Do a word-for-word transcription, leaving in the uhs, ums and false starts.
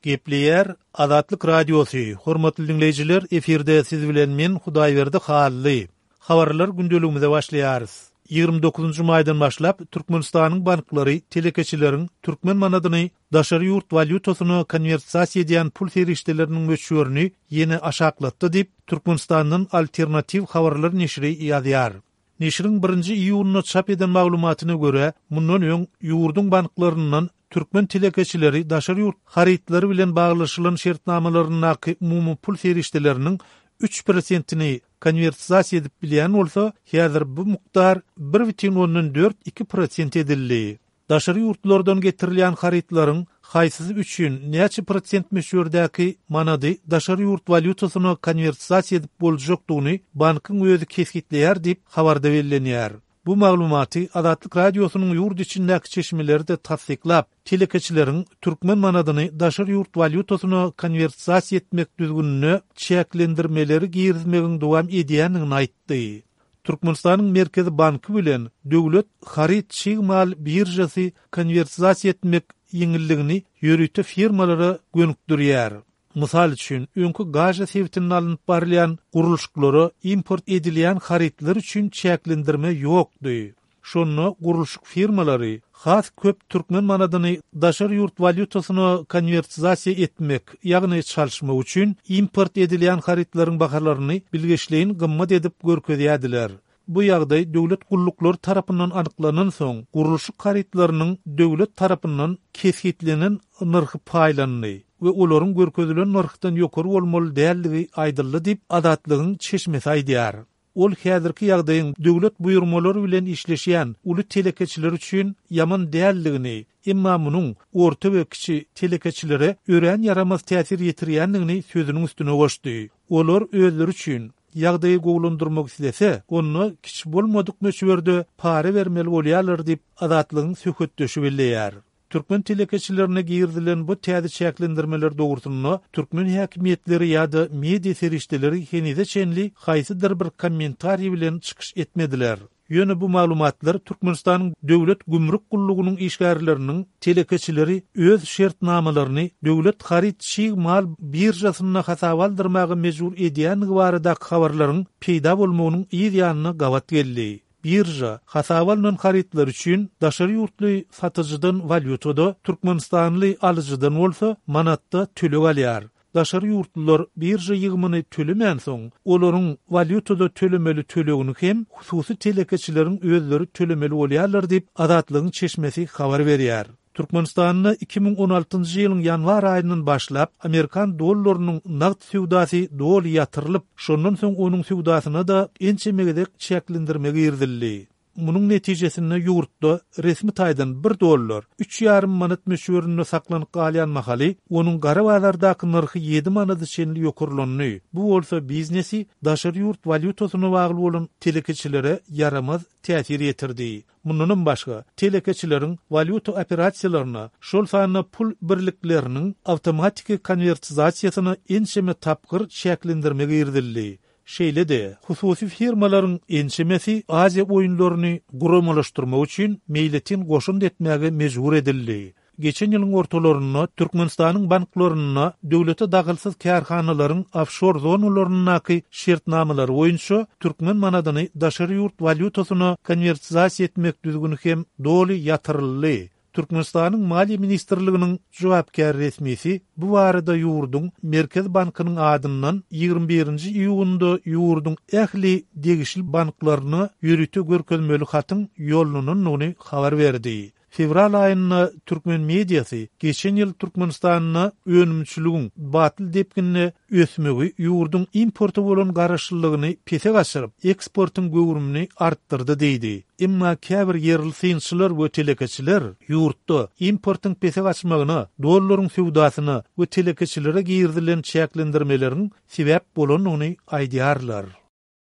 Gepleýär Azatlyk Radiosy, Hormatly diňleýjiler, efirde siz bilen men Hudaýberdi Hally. Habarlar gündeligimize başlaýarys. Ýigrimi dokuzynjy maýdan başlap Türkmenistanyň banklary telekeçileriň türkmen manadyny daşary ýurt walýutasyna konwertasiýa edýän pul serişdeleriniň möçberini ýene aşaklatdy diýip, Türkmenistandan Alternatiw habarlar neşiri ýazýar. Neşiriň birinji iýunda çap eden maglumatyna görä, mundan öň ýurduň banklaryndan türkmen telekeçileri daşary ýurt harytlary bilen baglaşylan şertnamalaryndaky umumy pul serişdeleriniň üç prosentini konwertasiýa edip bilýän bolsa, häzir bu mukdar bir bütin ondan dört iki prosent edildi. Daşary ýurtlardan getirilýän harytlaryň haýsysy üçin näçe prosent möçberdäki manady daşary ýurt walýutasyna konwertasiýa edip boljakdygyny bankyň özi kesgitleýär diýip, habarda bellenýär. Bu maglumaty Azatlyk Radiosynyň ýurt içindäki çeşmeleri-de tassyklap, telekeçileriň türkmen manadyny daşary ýurt walýutasyna konwertasiýa etmek düzgünine çäklendirmeleri girizmegiň dowam edýändigini aýtdy. Türkmenistanyň Merkezi banky bilen Döwlet haryt çig mal biržasy konwertasiýa etmek ýeňilligini ýörite firmalara gönükdirýär. Mysal üçin, öňki Gaža sebitinde alnyp barylýan gurluşyklara import edilýän harytlar üçin çäklendirme ýokdy. Şonda gurluşyk firmalary has köp türkmen manadyny daşary ýurt walýutasyna konwertasiýa etmek, ýagny çalyşmak üçin import edilýän harytlaryň bahalaryny bilgeşleýin gymmat edip görkezýärdiler. Bu ýagdaý döwlet gulluklary tarapyndan anyklanan soň, gurluşyk harytlarynyň döwlet tarapyndan kesgitlenen nyrhy paýlandy we olaryň görkezilen nyrhdan ýokary bolmaly däldigi aýdyldy diýip, Azatlygyň çeşmesi aýdýar. Ol häzirki ýagdaýyň döwlet buýurmalary bilen işleşýän uly telekeçiler üçin ýaman däldigini, emma munuň orta we kiçi telekeçilere örän ýaramaz täsir ýetirýändigini sözüniň üstüne goşdy. Olar özleri üçin ýagdaýy gowulandyrmak islese, onda kiçi bolmadyk möçberde para bermeli bolýarlar diýip, Azatlygyň söhbetdeşi belleýär. Türkmen telekeçilerine girizilen bu täze çäklendirmeler dogrusynda türkmen häkimiýetleri ýa-da media serişdeleri henize çenli haýsydyr bir kommentariý bilen çykyş etmediler. Ýöne bu maglumatlar Türkmenistanyň Döwlet gümrük gullugynyň işgärleriniň telekeçileri öz şertnamalaryny döwlet haryt çig mal biržasynda hasaba aldyrmaga mejbur edýändigi baradaky habarlaryň peýda bolmagynyň yz ýanyna gabat geldi. Birža hasaba alnan harytlar üçin daşary ýurtly satyjydan walýutada, türkmenistanly alyjydan bolsa manatda töleg alýar. Daşary ýurtlular birža ýygymyny tölemänsoň, olaryň walýutada tölemeli tölegini hem hususy telekeçileriň özleri tölemeli bolýarlar diýip, Azatlygyň çeşmesi habar berýär. Türkmenistanda iki müň on altynjy ýylyň ýanwar aýyndan başlap amerikan dollarynyň nagt söwdasy doly ýatyrylyp, şondan soň onuň söwdasyna-da ençeme gezek çäklendirme girizildi. Munuň netijesinde ýurtda resmi taýdan bir dollar üç ýarym manat möçberinde saklanyp galýan mahaly, onuň gara bazardaky nyrhy ýedi manada çenli ýokarlandy. Bu bolsa biznesi daşary ýurt walýutasyna bagly bolan telekeçilere ýaramaz täsir ýetirdi. Mundanam başga, telekeçileriň walýuta operasiýalaryna, şol sanda pul birlikleriniň awtomatiki konwertizasiýasyna ençeme tapgyr çäklendirme girizildi. Şeýle-de, hususy firmalaryň ençemesi Aziýa oýunlaryny guramalaşdyrmak üçin meýletin goşund etmäge mejbur edildi. Geçen ýylyň ortalarynda Türkmenistanyň banklarynda döwlete dahylsyz kärhanalaryň ofşor zonalaryndaky şertnamalary boýunça türkmen manadyny daşary ýurt walýutasyna konwertizasiýa etmek düzgüni hem doly ýatyryldy. Türkmenistanyň Maliýe ministrliginiň jogapkär resmisi bu barada ýurduň Merkezi bankynyň adyndan ýigrimi birinji iýunda ýurduň ähli degişli banklaryna ýörite görkezmeli hatyň ýollanandygyny habar berdi. Fewral aýynda türkmen mediasy geçen ýyl Türkmenistanda önümçiligiň batly depginde ösmegi ýurduň importa bolan garaşlylygyny pese gaçyryp, eksportyň göwrümini artdyrdy diýdi. Emma käbir ýerli synçylar we telekeçiler ýurtda importyň pese gaçmagyna, dollaryň söwdasyna we telekeçilere girizilen çäklendirmeleriň sebäp bolandygyny aýdýarlar.